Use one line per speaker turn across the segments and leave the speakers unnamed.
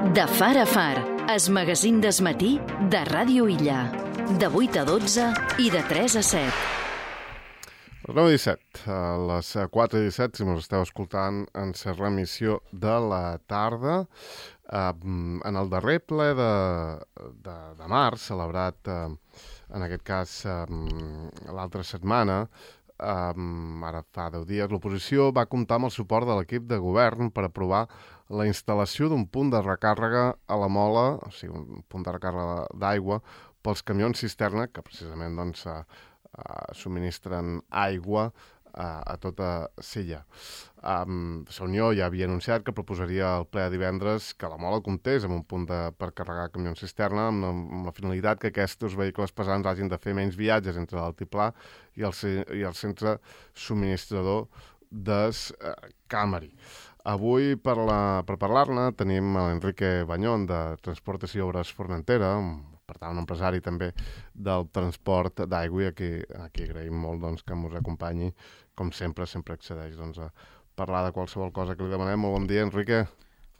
De far a far, es magazín d'esmatí de Ràdio Illa. De 8 a 12 i de 3 a 7.
Les 9:17, a les 4:17, si mos esteu escoltant, en la remissió de la tarda, en el darrer ple de març, celebrat, en aquest cas, l'altra setmana, ara fa 10 dies, l'oposició va comptar amb el suport de l'equip de govern per aprovar la instal·lació d'un punt de recàrrega a la Mola, o sigui, un punt de recàrrega d'aigua, pels camions cisterna, que precisament doncs, subministren aigua a tota Sella. La Unió ja havia anunciat que proposaria al ple de divendres que la Mola comptés amb un punt per carregar camions cisterna amb la finalitat que aquests vehicles pesants hagin de fer menys viatges entre l'altiplà i el centre subministrador d'Escamari. Avui, per parlar-ne, tenim l'Enrique Bañón, de Transportes i Obres Formentera, per tant, un empresari també del transport d'aigua, i aquí agraïm molt doncs, que ens acompanyi, com sempre accedeix a parlar de qualsevol cosa que li demanem. Molt bon dia, Enrique.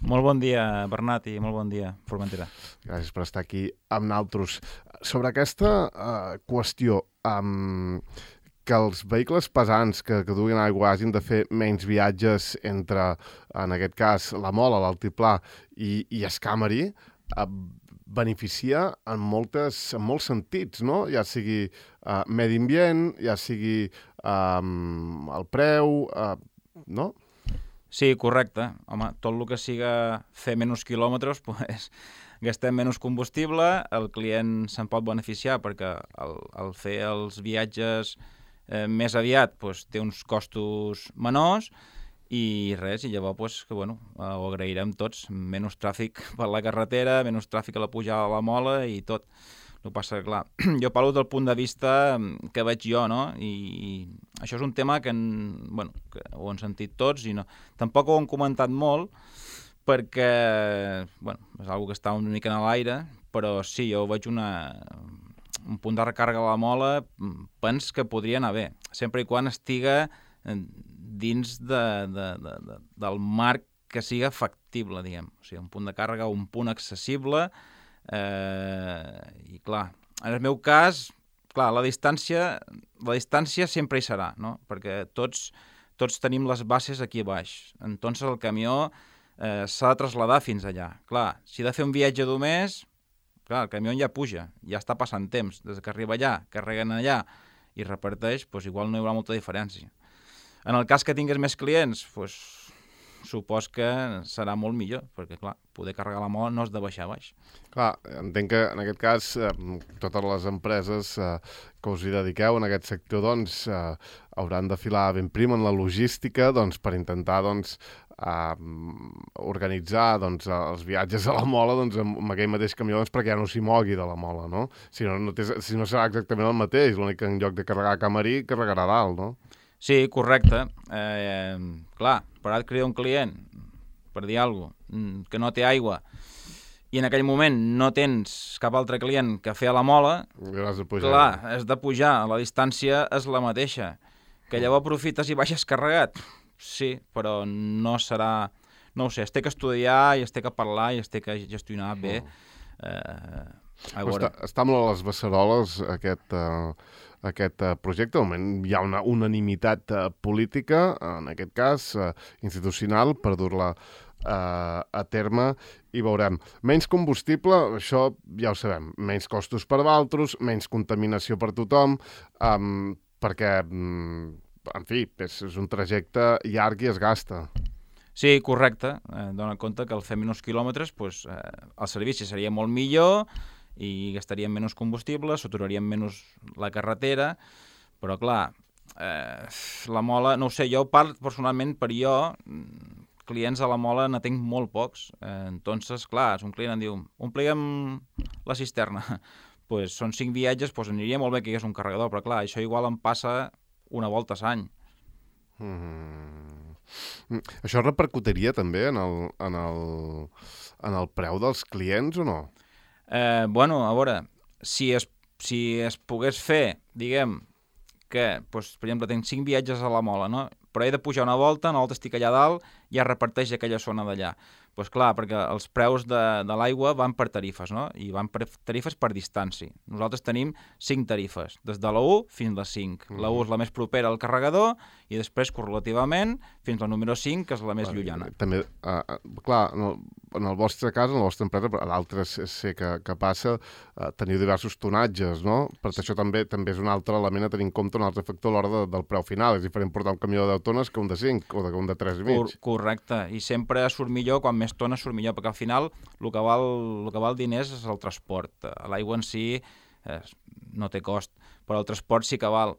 Molt bon dia, Bernat, i molt bon dia, Formentera.
Gràcies per estar aquí amb nosaltres. Sobre aquesta qüestió, que els vehicles pesants que duguin aigua hagin de fer menys viatges entre, en aquest cas, la Mola, l'Altiplà i Escamari, beneficia en molts sentits, no? Ja sigui medi ambient, ja sigui el preu, no?
Sí, correcte. Home, tot el que siga fer menys quilòmetres, pues, gastem menys combustible, el client se'n pot beneficiar perquè al fer els viatges més aviat pues, té uns costos menors i res, i llavors pues, que, bueno, ho agrairem tots, menys tràfic per la carretera, menys tràfic a la pujada a la Mola i tot. El que passa que, clar, jo parlo del punt de vista que veig jo, no? I això és un tema que ho han sentit tots i no, tampoc ho han comentat molt perquè, bueno, és una que està una mica en l'aire, però sí, jo veig un punt de recàrrega a la Mola, penso que podria anar bé, sempre i quan estiga dins del marc que siga factible, diguem. O sigui, un punt de càrrega, un punt accessible, i clar, en el meu cas, clar, la distància sempre hi serà, no? Perquè tots tenim les bases aquí a baix. Entonces el camió s'ha de traslladar fins allà. Clar, si he de fer un viatge d'un mes, clar, el camió ja puja, ja està passant temps. Des que arriba allà, carreguen allà i reparteix, doncs igual no hi haurà molta diferència. En el cas que tingués més clients, doncs supos que serà molt millor, perquè, clar, poder carregar la Mola no has de baixar a baix.
Clar, entenc que en aquest cas totes les empreses que us hi dediqueu en aquest sector doncs hauran de filar ben prim en la logística doncs, per intentar doncs, organitzar doncs, els viatges a la Mola doncs, amb aquell mateix camió doncs, perquè ja no s'hi mogui de la Mola, no? Si no serà exactament el mateix, l'únic que en lloc de carregar a Camarí, carregarà a dalt, no?
Sí, correcte. Clar, per ara et crida un client, per dir alguna cosa, que no té aigua, i en aquell moment no tens cap altre client que fer a la Mola, clar, has de pujar, la distància és la mateixa. Que llavors aprofites i baixes carregat? Sí, però no serà... No ho sé, es té que estudiar i es té que parlar i es té que gestionar bé.
Està molt a les beceroles aquest projecte. De moment hi ha una unanimitat política, en aquest cas institucional, per dur-la a terme i veurem. Menys combustible, això ja ho sabem, menys costos per valtros, menys contaminació per tothom, perquè, en fi, és un trajecte llarg i es gasta.
Sí, correcte. Dóna compte que al fer menys quilòmetres pues, el servici seria molt millor i gastaríem menys combustible, saturaríem menys la carretera, però clar, la Mola, no ho sé, jo parlo personalment per jo, clients a la Mola ne tinc molt pocs, entonces, clar, si un client em diu, ompliguem la cisterna, pues són 5 viatges, pues aniria molt bé que hi hagués un carregador, però clar, això igual em passa una volta a l'any.
Això repercutiria també en el preu dels clients o no?
Bueno, a veure, si es pogués fer, diguem, que, doncs, per exemple, tinc 5 viatges a la Mola, no? Però he de pujar una volta estic allà dalt, ja reparteix aquella zona d'allà. Doncs clar, perquè els preus de l'aigua van per tarifes, no? I van per tarifes per distància. Nosaltres tenim 5 tarifes, des de la 1 fins a la 5. La 1 és la més propera al carregador i després, correlativament, fins a la número 5, que és la més llunyana.
També, clar, en el vostre cas, en la vostra empresa, a d'altres sé que passa, teniu diversos tonatges, no? Per això també és un altre element a tenir en compte, un altre factor a l'hora del preu final. És diferent portar un camió de 10 tones que un de 5 o un de 3,5. Correcte.
I sempre surt millor, quan més tones surt millor, perquè al final el que val diners és el transport. L'aigua en si no té cost, però el transport sí que val.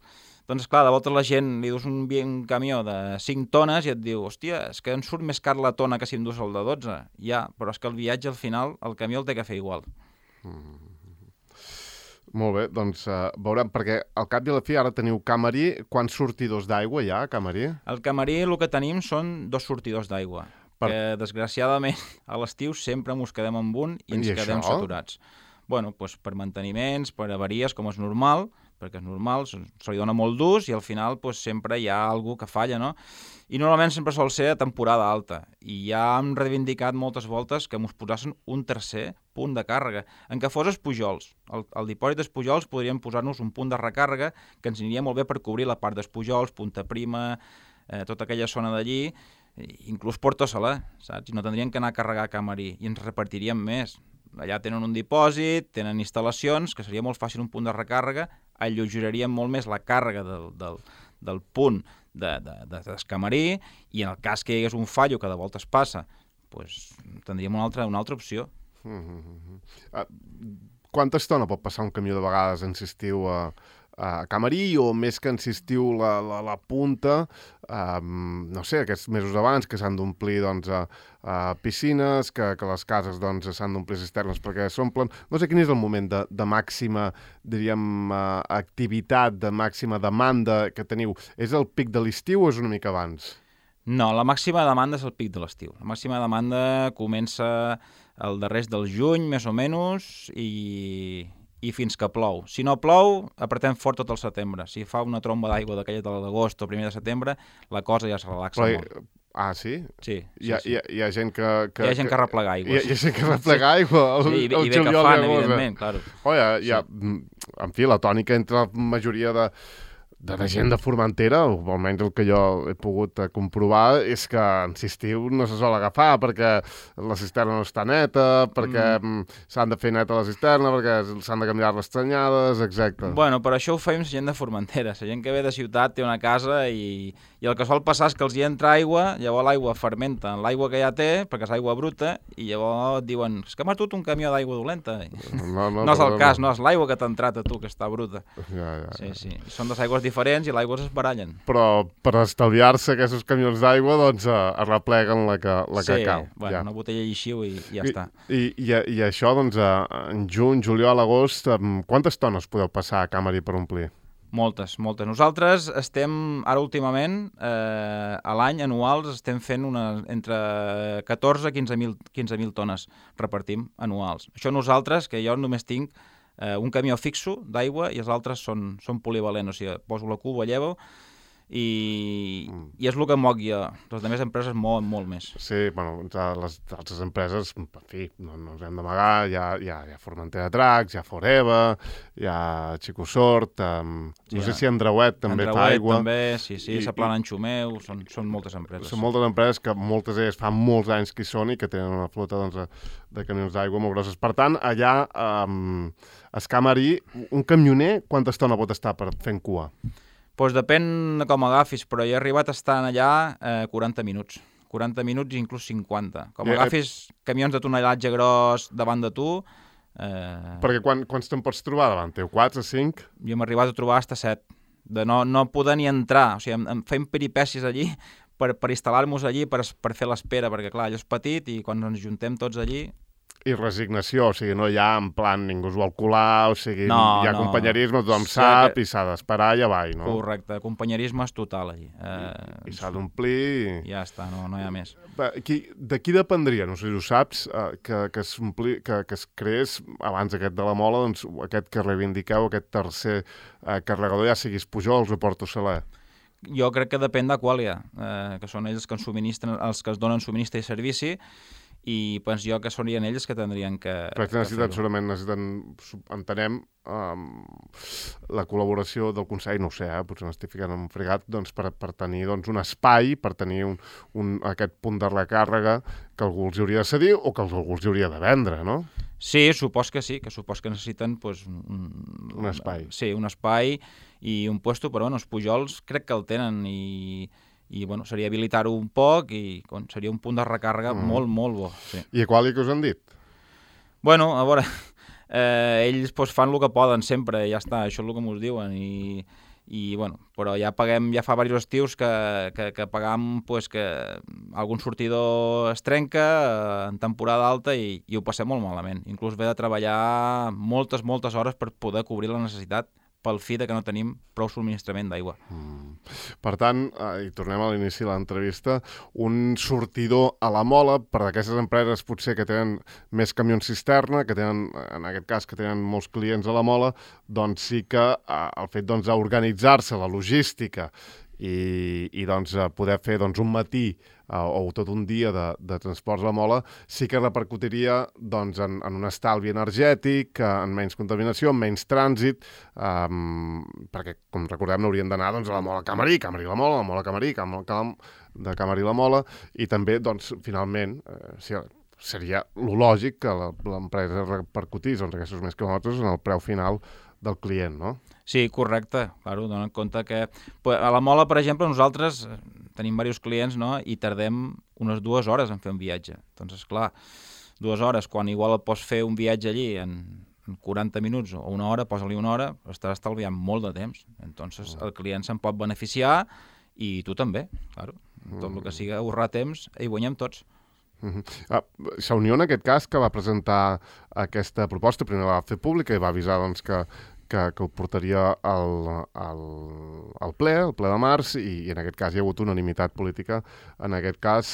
Doncs clar, de volta la gent li dus un camió de 5 tones i et diu, hòstia, és que em surt més car la tona que si em dus el de 12. Ja, però és que el viatge al final, el camió el té que fer igual.
Molt bé, doncs veurem, perquè al cap i a la fi ara teniu Camarí. Quants sortidors d'aigua hi ha a Camarí?
Al Camarí el que tenim són 2 sortidors d'aigua, que desgraciadament a l'estiu sempre mos quedem amb un i ens quedem saturats. Bueno, doncs per manteniments, per avaries, com és normal, perquè és normal, se li dona molt d'ús i al final sempre hi ha algú que falla, no? I normalment sempre sol ser a temporada alta. I ja hem reivindicat moltes voltes que ens posassin un tercer punt de càrrega, en què fos Espujols. Al dipòsit d'Espujols podríem posar-nos un punt de recàrrega que ens aniria molt bé per cobrir la part d'Espujols, Punta Prima, tota aquella zona d'allí, inclús Porto Salé, saps? I no tindríem que anar a carregar a Camarí i ens repartiríem més. Allà tenen un dipòsit, tenen instal·lacions, que seria molt fàcil un punt de recàrrega, allotjaríem molt més la càrrega del punt d'Escamarí i en el cas que hi hagués un fallo que de voltes passa, doncs tindríem una altra opció.
Quanta estona pot passar un camió de vegades en estiu a Camarí o més que en estiu la punta, no sé, aquests mesos abans que s'han d'omplir piscines, que les cases s'han d'omplir cisternes perquè s'omplen. No sé quin és el moment de màxima, diríem, activitat, de màxima demanda que teniu. És el pic de l'estiu o és una mica abans?
No, la màxima demanda és el pic de l'estiu. La màxima demanda comença el darrers del juny, més o menys, i fins que plou. Si no plou, apretem fort tot el setembre. Si fa una tromba d'aigua d'aquella de l'agost o primer de setembre, la cosa ja es relaxa molt.
Ah, sí?
Sí.
Hi ha gent que...
Hi ha gent que replega aigua.
Hi ha gent que replega aigua al
juliol i agost. I bé que fan, evidentment, clar.
En fi, la tònica entre la majoria de la gent de Formentera, o almenys el que jo he pogut comprovar, és que en estiu no se sol agafar perquè la cisterna no està neta, perquè s'han de fer neta la cisterna, perquè s'han de canviar les tranyades, exacte.
Bueno, per això ho fem la gent de Formentera. La gent que ve de ciutat té una casa i el que sol passar és que els hi entra aigua, llavors l'aigua fermenta en l'aigua que ja té, perquè és aigua bruta, i llavors et diuen, és que m'has dut un camió d'aigua dolenta. No és el cas, no, és l'aigua que t'ha entrat a tu, que està bruta. Sí. Són dues aigües diferents i l'aigua es barallen.
Però per estalviar-se aquests camions d'aigua, doncs arrepleguen la que cal.
Sí, bueno, una botella lleixiu i ja està.
I això, doncs, en juny, juliol, agost, quantes tones podeu passar a Camarí per omplir?
Moltes. Nosaltres estem, ara últimament, a l'any anuals, estem fent entre 14 i 15.000 tones repartim anuals. Això nosaltres, que jo només tinc un camió fixo d'aigua i els altres són polivalents, o sigui, poso la cuba, llevo i és el que moc jo. Les altres empreses mouen molt més.
Sí, bueno, les altres empreses, en fi, no ens hem d'amagar, hi ha Formentera Dracs, hi ha Foreva, hi ha Xicosort, no sé si Andreuet també fa aigua.
També, sí, la Plana en Xumeu, són moltes empreses.
Són moltes empreses que moltes d'elles fa molts anys que hi són i que tenen una flota de camions d'aigua molt grosses. Per tant, allà a Camarí, un camioner, quanta estona pot estar fent cua?
Doncs depèn de com agafis, però jo he arribat a estar allà 40 minuts. 40 minuts i inclús 50. Com agafis camions de tonellatge gros davant de tu...
Perquè quants te'n pots trobar davant teu? 4 o 5?
Jo m'he arribat a trobar fins a 7. De no poder ni entrar. O sigui, em fem peripècies allí per instal·lar-nos allí, per fer l'espera, perquè clar, allò és petit i quan ens juntem tots allí...
I resignació, o sigui, no hi ha en plan ningú es vol colar, o sigui, hi ha companyerisme, tothom sap i s'ha d'esperar i avall, no?
Correcte, companyerisme és total allí.
I s'ha d'omplir...
Ja està, no hi ha més.
De qui dependria, no sé si ho saps, que es creés abans aquest de la Mola, doncs aquest que reivindiqueu, aquest tercer carregador, ja siguis Pujols o Porto Salé?
Jo crec que depèn d'Aquàlia, que són ells que ens subministren, els que es donen subministre i servici, i penso jo que serien ells que tindrien que
necessiten, entenem, la col·laboració del Consell, no ho sé, potser m'estic ficant en un fregat, doncs, per tenir un espai, per tenir aquest punt de recàrrega que algú els hauria de cedir o que algú els hauria de vendre, no?
Sí, supos que necessiten
un espai.
Sí, un espai i un puesto, però els Pujols crec que el tenen i seria habilitar-ho un poc i seria un punt de recàrrega molt, molt bo. Sí.
I a quali que us han dit?
Bueno, a veure, ells fan el que poden sempre, ja està, això és el que mos diuen però ja fa diversos estius que pagam que algun sortidor es trenca en temporada alta i ho passem molt malament. Inclús ve de treballar moltes hores per poder cobrir la necessitat pel fi que no tenim prou subministrament d'aigua.
Per tant, i tornem a l'inici de l'entrevista, un sortidor a la mola per aquestes empreses potser que tenen més camions cisterna, que tenen, en aquest cas, que tenen molts clients a la mola, doncs sí que el fet d'organitzar-se, la logística i poder fer un matí o tot un dia de transports a la mola sí que repercutiria en un estalvi energètic, en menys contaminació, en menys trànsit, perquè, com recordem, n'haurien d'anar a la mola Camarí, Camarí la mola, la mola Camarí, de Camarí la mola, i també, finalment, seria lo lògic que l'empresa repercutís aquests més quilòmetres en el preu final del client, no?
Sí, correcte. Claro, dona en compte que a la mola, per exemple, nosaltres tenim diversos clients, no?, i tardem unes 2 hores en fer un viatge. Doncs, esclar, 2 hores, quan igual et pots fer un viatge allí en 40 minuts o una hora, posa-li una hora, estaràs estalviant molt de temps. Entonces, el client se'n pot beneficiar i tu també, claro. Tot el que sigui ahorrar temps, hi guanyem tots.
La Unió, en aquest cas, que va presentar aquesta proposta, primer la va fer pública i va avisar que ho portaria al ple de març, i en aquest cas hi ha hagut unanimitat política, en aquest cas,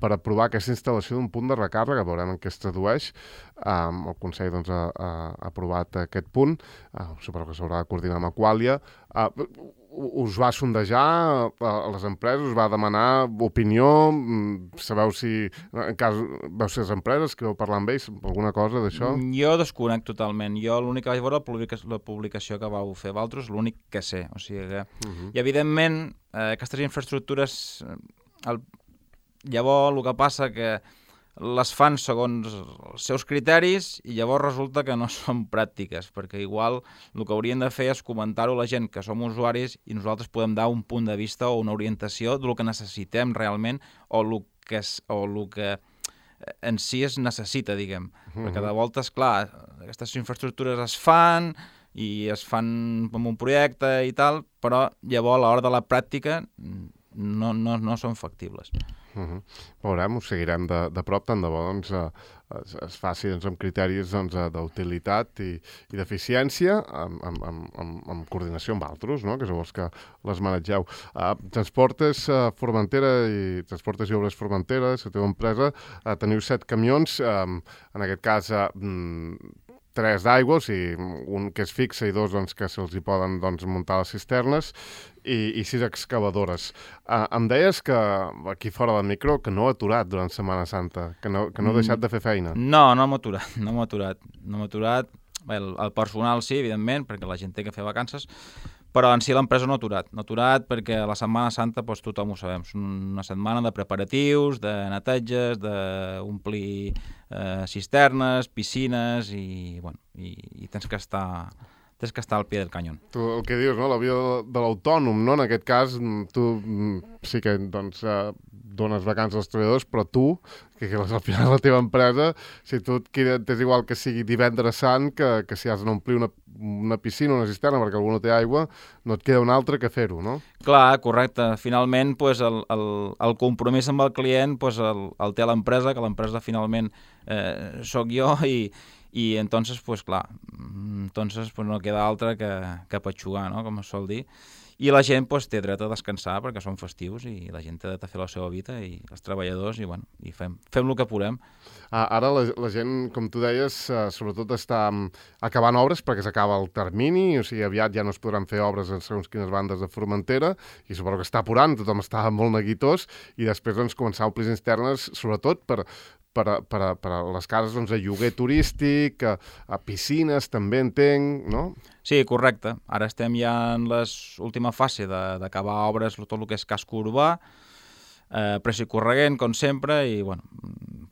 per aprovar aquesta instal·lació d'un punt de recàrrega. Veurem en què es tradueix. El Consell ha aprovat aquest punt, suposo que s'haurà de coordinar amb Aqualia. Us va sondejar a les empreses, us va demanar opinió, sabeu si, en cas, veu ser les empreses, que vau parlar amb ells, alguna cosa d'això?
Jo desconec totalment. Jo l'únic que vaig veure la publicació que vau fer vosaltres, l'únic que sé. O sigui que, i evidentment, aquestes infraestructures, llavors el que passa que les fan segons els seus criteris i llavors resulta que no són pràctiques, perquè igual el que haurien de fer és comentar-ho a la gent que som usuaris i nosaltres podem dar un punt de vista o una orientació del que necessitem realment o el que en si es necessita, diguem. Perquè de voltes, clar, aquestes infraestructures es fan i es fan amb un projecte i tal, però llavors a l'hora de la pràctica no són factibles.
Veurem, ho seguirem de prop, tant de bo es faci amb criteris d'utilitat i d'eficiència, amb coordinació amb altres, no?, que sou els que les manegeu. Transportes Formentera i Transportes i Obres Formentera, la teva empresa, teniu 7 camions, en aquest cas 3 d'aigua, o sigui, un que és fixe i 2 que se'ls hi poden muntar les cisternes, i 6 excavadores. Em deies que aquí fora del micro que no ha aturat durant Setmana Santa, que no ha deixat de fer feina.
No m'ha aturat. Bé, el personal sí, evidentment, perquè la gent té que fer vacances, però en si l'empresa no ha aturat perquè a la Setmana Santa tothom ho sabem, és una setmana de preparatius, de neteges, d'omplir cisternes, piscines i tens que estar al pie del canyón.
Tu el que dius, no?, la vida de l'autònom, no?, en aquest cas tu sí que dones vacances als treballadors, però tu, que al final la teva empresa, si tu t'és igual que sigui divendres sant, que si has d'omplir una piscina, una cisterna, perquè algú no té aigua, no et queda un altre que fer-ho, no?
Clar, correcte. Finalment, el compromís amb el client el té l'empresa, que l'empresa finalment sóc jo, i entonces, clar, no queda altre que patxugar, no?, com es sol dir. I la gent té dret a descansar perquè són festius i la gent té dret a fer la seva vida i els treballadors i fem el que podem.
Ara la gent, com tu deies, sobretot està acabant obres perquè s'acaba el termini, o sigui, aviat ja no es podran fer obres en segons quines bandes de Formentera i suposo que està apurant, tothom està molt neguitós i després començar a omplir cisternes, sobretot per per a les cases doncs, de lloguer turístic, a piscines també entenc, no?
Sí, correcte. Ara estem ja en l'última fase d'acabar obres, tot el que és casco urbà, pressa i corregent, com sempre, i bueno,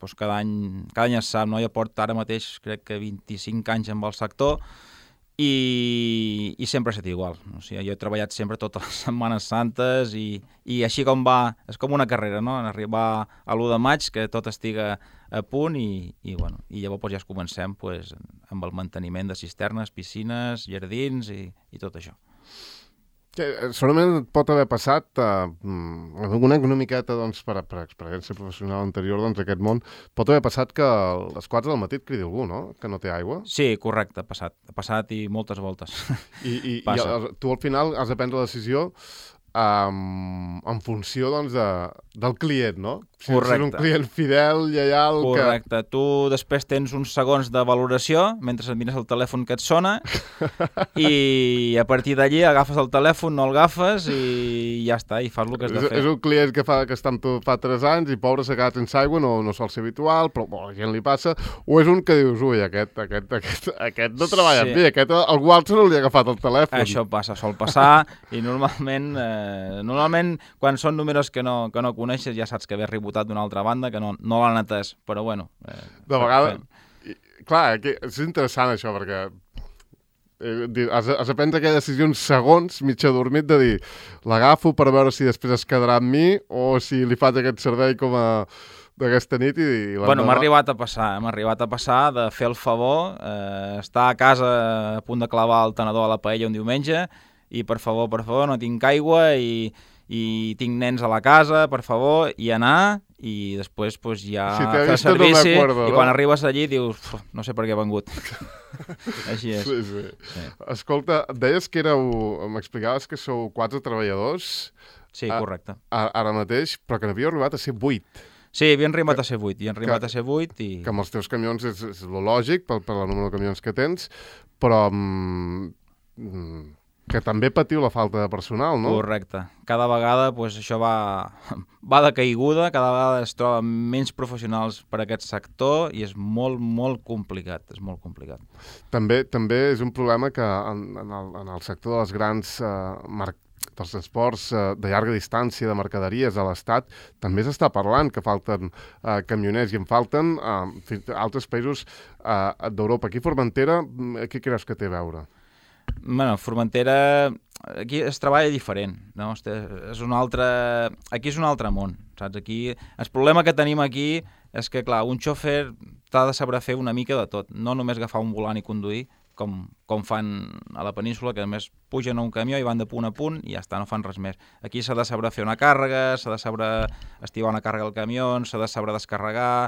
doncs cada any es sap, no? Jo porto ara mateix, crec que 25 anys amb el sector, i sempre ha estat igual. O sigui, jo he treballat sempre totes les Setmanes Santes i així com va, és com una carrera, no? En arribar a l'1 de maig, que tot estiga a punt i llavors ja es comencem amb el manteniment de cisternes, piscines, jardins i tot això.
Segurament et pot haver passat una miqueta doncs, per experiència professional anterior d'aquest món, pot haver passat que a les 4 del matí et cridi algú, no? Que no té aigua?
Sí, correcte, ha passat i moltes voltes.
I tu al final has de prendre la decisió en funció doncs, del client, no?
Correcte.
Si és un client fidel, lleial...
Correcte. Tu després tens uns segons de valoració mentre et mires el telèfon que et sona i a partir d'allí agafes el telèfon, no el agafes i ja està, i fas el que has de fer.
És un client que està amb tu fa 3 anys i pobre s'ha quedat sense aigua, no sol ser habitual, però a la gent li passa, o és un que dius, ui, aquest no treballa amb mi, aquest algú altre no li ha agafat el telèfon.
Això passa, sol passar, i normalment quan són números que no coneixes ja saps que ve rebotat d'una altra banda, que no l'han atès, però bueno...
De vegades... Clar, és interessant això, perquè has de prendre aquella decisió uns segons, mig adormit, de dir, l'agafo per veure si després es quedarà amb mi o si li faig aquest servei com a d'aquesta nit i
bueno, m'ha arribat a passar de fer el favor, estar a casa a punt de clavar el tenedor a la paella un diumenge i per favor, no tinc aigua i tinc nens a la casa, per favor, i anar, i després ja fer servici, i quan arribes allí dius, no sé per què he vengut. Així és.
Sí. Escolta, deies que m'explicaves que sou 4 treballadors.
Sí, correcte.
Ara mateix, però que n'havíeu arribat a ser 8.
Sí, havien arribat a ser 8,
Que amb els teus camions és lo lògic, per la número de camions que tens, però... que també patiu la falta de personal, no?
Correcte. Cada vegada això va de caiguda, cada vegada es troben menys professionals per a aquest sector i és molt, molt complicat,
També és un problema que en el sector de les grans dels transports de llarga distància de mercaderies a l'Estat també s'està parlant que falten camioners i en falten altres països d'Europa. Aquí a Formentera, què creus que té a veure?
Bueno, Formentera, aquí es treballa diferent, no? Aquí és un altre món, saps? Aquí, el problema que tenim aquí és que, clar, un xòfer t'ha de saber fer una mica de tot, no només agafar un volant i conduir, com fan a la península, que a més pugen a un camió i van de punt a punt i ja està, no fan res més. Aquí s'ha de saber fer una càrrega, s'ha de saber estivar una càrrega al camió, s'ha de saber descarregar,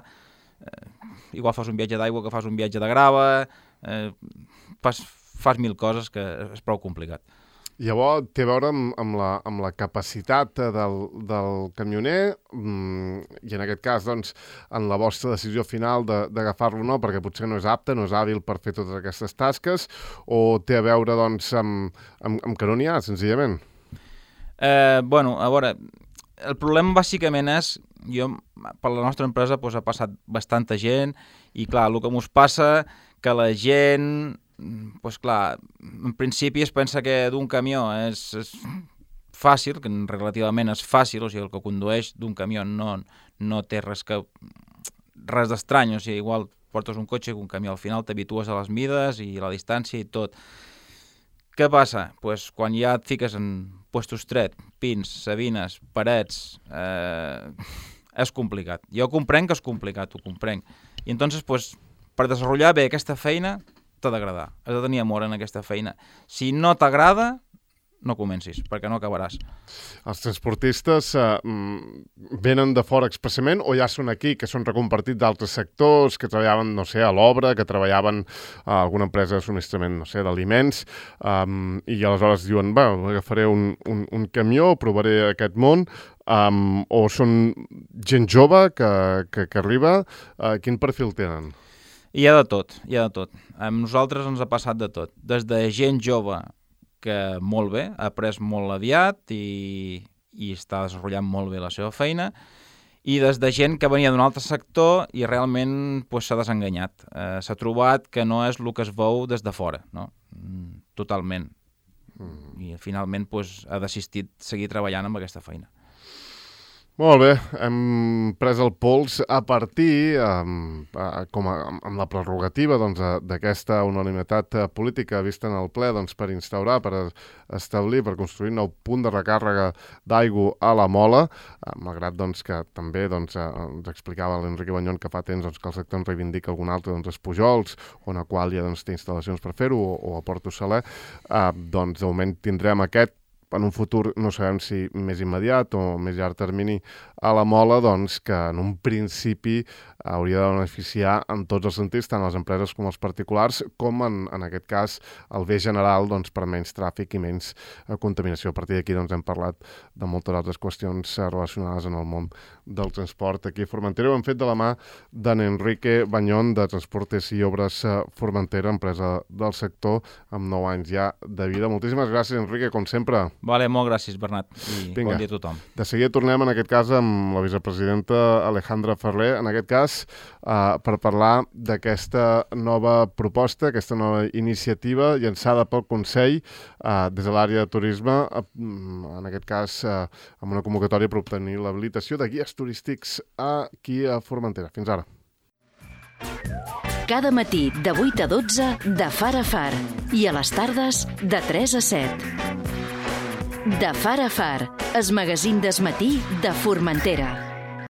igual fas un viatge d'aigua que fas un viatge de grava, fas 1000 coses que és prou complicat.
Llavors, té a veure amb la capacitat del camioner i en aquest cas, doncs, en la vostra decisió final d'agafar-lo o no, perquè potser no és apte, no és hàbil per fer totes aquestes tasques, o té a veure, doncs, amb que no n'hi ha, senzillament?
Bueno, a veure, el problema bàsicament és, per la nostra empresa ha passat bastanta gent i, clar, el que mos passa que la gent... Doncs clar, en principi es pensa que d'un camió és fàcil, que relativament és fàcil, o sigui, el que condueix d'un camió no té res d'estrany, o sigui, igual portes un cotxe i un camió, al final t'habitues a les mides i la distància i tot. Què passa? Doncs quan ja et fiques en puesto estret, pins, sabines, parets, és complicat. Jo comprenc que és complicat, ho comprenc. I entonces, per desenvolupar bé aquesta feina, t'ha d'agradar, has de tenir amor en aquesta feina. Si no t'agrada, no comencis, perquè no acabaràs.
Els transportistes venen de fora expressament o ja són aquí, que són recompartits d'altres sectors, que treballaven, no sé, a l'obra, que treballaven a alguna empresa de subministrament, no sé, d'aliments, i aleshores diuen, agafaré un camió, provaré aquest món, o són gent jove que arriba, quin perfil tenen?
Hi ha de tot. Amb nosaltres ens ha passat de tot. Des de gent jove que molt bé, ha après molt aviat i està desenvolupant molt bé la seva feina, i des de gent que venia d'un altre sector i realment s'ha desenganyat. S'ha trobat que no és el que es veu des de fora, no? Totalment. I finalment ha desistit seguir treballant amb aquesta feina.
Molt bé, hem pres el pols a partir, amb la prerrogativa d'aquesta unanimitat política vista en el ple per instaurar, per establir, per construir un nou punt de recàrrega d'aigua a la Mola, malgrat que també ens explicava l'Enrique Bañón que fa temps que el sector ens reivindica algun altre, els Pujols, on a qual ja té instal·lacions per fer-ho, o a Porto Saler, de moment tindrem aquest, en un futur no sabem si més immediat o més llarg termini, a la Mola, que en un principi hauria de beneficiar en tots els sentits, tant les empreses com els particulars, com en aquest cas el bé general per menys tràfic i menys contaminació. A partir d'aquí hem parlat de moltes altres qüestions relacionades en el món del transport aquí a Formentera. Ho hem fet de la mà d'en Enrique Bañón, de Transportes i Obres Formentera, empresa del sector amb 9 anys ja de vida. Moltíssimes gràcies, Enrique, com sempre.
Vale, molt gràcies, Bernat, i bon dia a tothom.
De seguida tornem, en aquest cas, amb la vicepresidenta Alejandra Ferrer, en aquest cas, per parlar d'aquesta nova proposta, aquesta nova iniciativa llançada pel Consell des de l'àrea de turisme, en aquest cas, amb una convocatòria per obtenir l'habilitació de guies turístics aquí a Formentera. Fins ara.
Cada matí de 8 a 12 de Far a Far i a les tardes de 3 a 7. De Far a Far, el magazín del matí de Formentera.